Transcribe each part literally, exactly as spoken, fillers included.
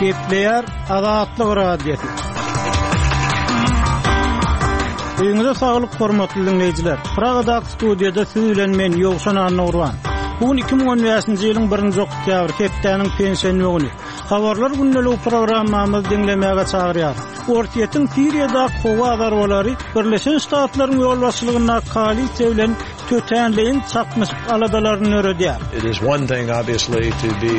Gepleýär Azatlyk Radiosy. Öýüňize saglyk hormatly dinleýjiler. Pragadaky studiýada siz bilen men Ýowşan Annagurban. Bu gün iki müň on bäşinji ýylyň birinji oktýabr hepdäniň penşenbe güni. Habarlar gündeligi programmamyzy diňlemäge çagyrýar. Orsýetiň Siriýadaky howa zarbalary Birleşen Ştatlaryň ýolbaşçylygyndaky koalisiýa bilen tötänleýin çaknyşyk aladalaryny döredýär. It is one thing obviously to be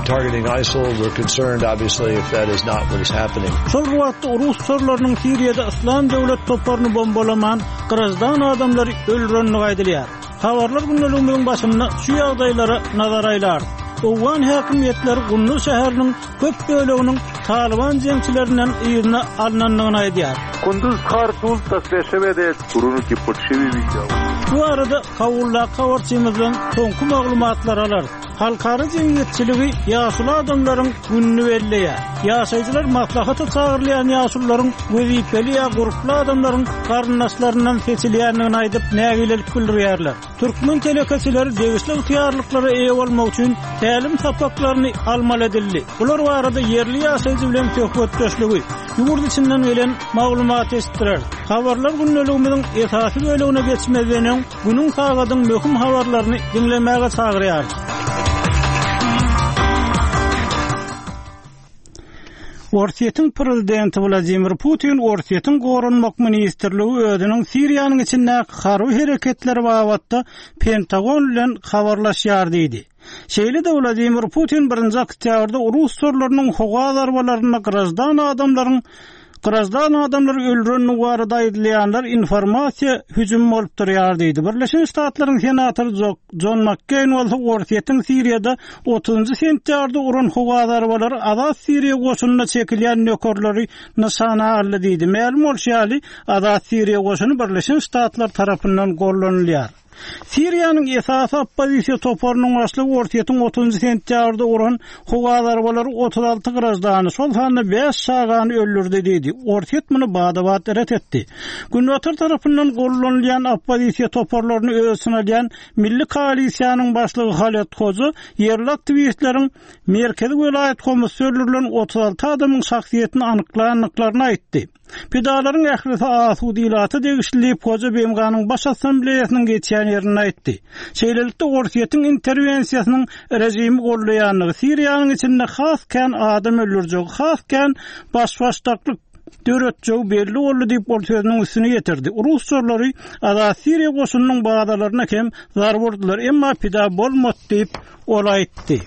targeting ISIL. We're concerned obviously if that is not what is happening. Şol bir wagtda Rus uçarlarynyň Siriýada Yslam döwlet toparyny bombalaman graždan adamlary öldürenligi aýdylýar. Habarlar gündeligimiziň başynda şu ýagdaýlara nazar aýlar. Owgan häkimiýetleri Gunduz şäheriniň köp böleginiň Taliban jeňçilerinden yzyna alynandygyny aýdýar. Kunduz har tul tasveşeve kurunu ki potşevi video. Bu arada Kabuldaky habarçymyzdan soňky maglumatlar alar. Halkara jemgyýetçiligi ýaşuly adamlaryň gününi belleýär. Ýaşaýjylar maslahata çagyrylýan ýaşulularyň wezipeli ýa gurply adamlaryň garyndaşlaryndan seçilýändigini aýdyp nägilelik bildirýärler. Türkmen telekeçileri degişli ygtyýarlyklara eýe bolmak üçin tälim sapaklaryny almaly edildi. Bular barada ýerli ýaşaýjy bilen söhbetdeşligi, ýurt içinden gelen maglumat eşitdirer. Habarlar gündeligimiziň esasy bölegine geçmezden öň günüň sagadyň möhüm habarlaryny diňlemäge çagyrýar. Orsýetiň prezidenti Wladimir Putin Orsýetiň goranmak ministrligi özüniň Siriýanyň içindäki harby hereketleri babatda Pentagon bilen habarlaşýar diýdi. Şeýle-de Wladimir Putin birinji oktýabrda Rus uçarlarynyň howa zarbalarynda graždan adamlaryň graždan adamlary öldürenligi barada aýdylýanlar informasiýa hüjüm bolup durýar diýdi. Birleşen Ştatlaryň senatory John McCain bolsa Orsýetiň Siriýada otuzynjy sentýabrda uran howa zarbalary Azat Siriýa goşunyna çekilýän nökerleri nyşana aldy diýdi. Mälim bolşy ýaly Azat Siriýa goşuny Birleşen Ştatlar tarapyndan gollanylýar. Siriýanyň esasy oppozisiýa toparynyň başlygy Orsýetiň otuzynjy sentýabrda uran howa zarbalary otuz alty graždany, şol sanda bäş çagany öldürdi diýdi. Orsýet muny bada-bat ret etdi. Günbatar tarapyndan gollanylýan oppozisiýa toparlaryny öz içine alýan Milli koalisiýanyň başlygy Halet Hoja ýerli aktiwistleriň Merkezi welaýat Homusda öldürilen otuz alty adamyň şahsyýetini anyklandyklaryny aýtdy. Pidalaryň ählisi Asud ilata degişli diýip Hoja B M G-nyň baş assambleýasynyň geçýän ýerinde aýtdy. Şeýlelikde Orsýetiň interwensiýasynyň režimi gollaýandygy, Siriýanyň içinde has kän adam öldürjegi, has kän başbaşdaklyk döretjegi belli boldy diýip ol sözüniň üstüne ýetirdi. Rus uçarlary Azat Siriýa goşunynyň bazalaryna hem zarba urdular, emma pida bolmady diýip ol aýtdy.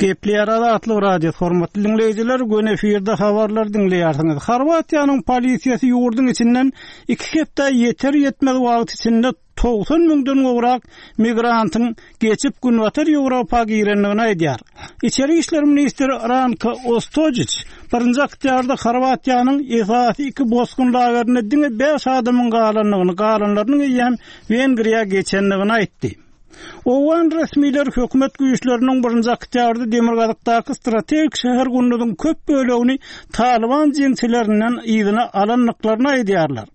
Gepleýär Azatlyk Radiosy, hormatly dinleýjiler, gün efirde habarlar dinleýärsiňiz. Horwatiýanyň polisiýasy ýurduň içinden iki hepde ýeter ýetmez wagt içinde togsan müňden gowrak migrantyň geçip Günbatar Ýewropa girendigini aýdýar. Içeri işler ministri Ranko Ostojić birinji oktýabrda Horwatiýanyň esasy iki bosgun lagerinde diňe bäş adamyň galandygyny, galanlarynyň eýýäm Wengriýa geçendigini aýtdy. Owgan resmiler hökümet güýçleriniň birinji oktýabrda Demirgazykdaky strategik şäher Gunduzyň köp bölegini Taliban jeňçilerinden yzyna alandyklaryny aýdýarlar.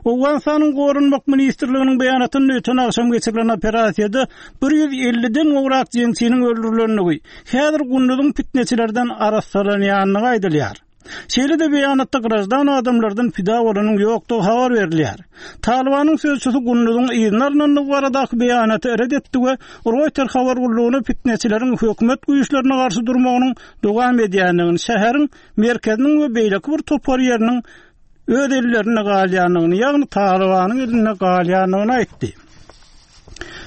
Owganystanyň Goranmak ministrliginiň beýanatynda öten agşam geçirilen operasiýada bir ýüz elliden gowrak jeňçiniň öldürilendigi, häzir Gunduzyň fitneçilerden arassalanýandygy aýdylýar. Şeýle-de beýanatda graždan adamlardan pida bolanyň ýokdugy habar berilýär. Talibanyň sözçüsi Gunduzyň yzyna alynandygy baradaky beýanaty ret etdi we Reuters habar gullugyna fitneçileriň hökümet güýçlerine garşy durmagynyň dowam edýändigini, şäheriň merkeziniň we beýleki bir topar ýeriniň öz ellerinde galýandygyny, ýagny Talibanyň elinde galýandygyny aýtdy.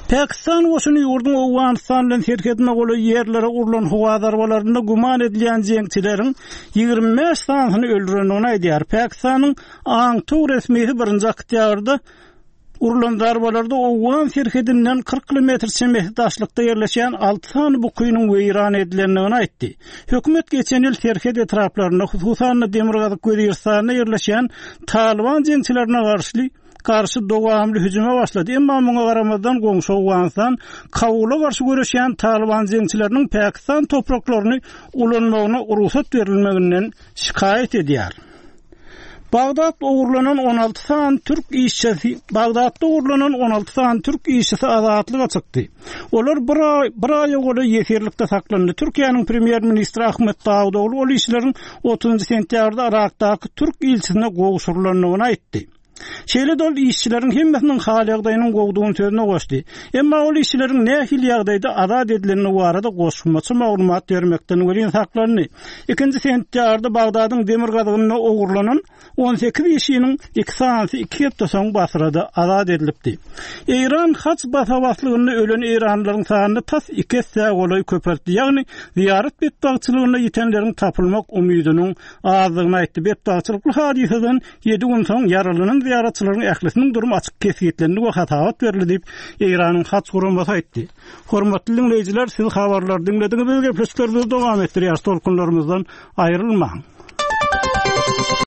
Pakistan goşuny ýurduň Owganystan bilen serhedine golaý ýerlere urlan howa zarbalarynda güman edilýän jeňçileriň ýigrimi bäş sanysyny öldürendigini aýdýar. Pakistanyň aňtaw resmisi birinji oktýabrda urlan zarbalarda Owgan serhedinden kyrk kilometr çemesi daşlykda ýerleşýän alty sany bukynyň weýran edilendigini aýtdy. Hökümet geçen ýyl serhed etraplarynda, hususan-da Demirgazyk Weziristanda ýerleşýän Taliban jeňçilerine garşy garşy dowamly hüjüme başlady. Emma muňa garamazdan goňşy Owganystan Kabula garşy göreşýän Taliban jeňçileriniň Pakistan topraklaryny ulanmagyna rugsat berilmeginden şikaýat edýär. Bagdat ogurlanan on alty sany türk işçisi, Bagdatda ogurlanan on alty sany türk işçisi azatlyga çykdy. Olar bir aý, bir aýa golaý ýesirlikde saklandy. Türkiýäniň premýer-ministri Ahmet Dawutoglu ol işçileriň otuzynjy sentýabrda Yrakdaky türk ilçisine gowşurylandygyny aýtdy. Şeýle-de ol işçileriň hemmesiniň hal-ýagdaýynyň gowudygyny sözüne goşdy. Emma ol işçileriň nähili ýagdaýda azat edilendigi barada goşmaça maglumat bermekden welin saklandy. Ikinji sentýabrda Bagdadyň demirgazygynda ogurlanan on sekiz işçiniň iki sanysy iki hepde soň Basrada azat edilipdi. Eýran haç basa-baslygynda ölen eýranlylaryň sanyny tas iki essä golaý köpeltdi, ýagny zyýarat betbagtçylygynda ýitenleriň tapylmak umydynyň azdygyny aýtdy. Betbagtçylykly hadysadan ýedi gün soň ýaralanan zyýaratçylaryň ählisiniň durumy açyk kesgitlendi we hasabat berildi diýip, Eýranyň haç guramasy aýtdy. Hormatly diňleýjiler, siz habarlary diňlediňiz, biz gepleşiklerimizi dowam etdirýäris, tolkunlarymyzdan aýrylmaň.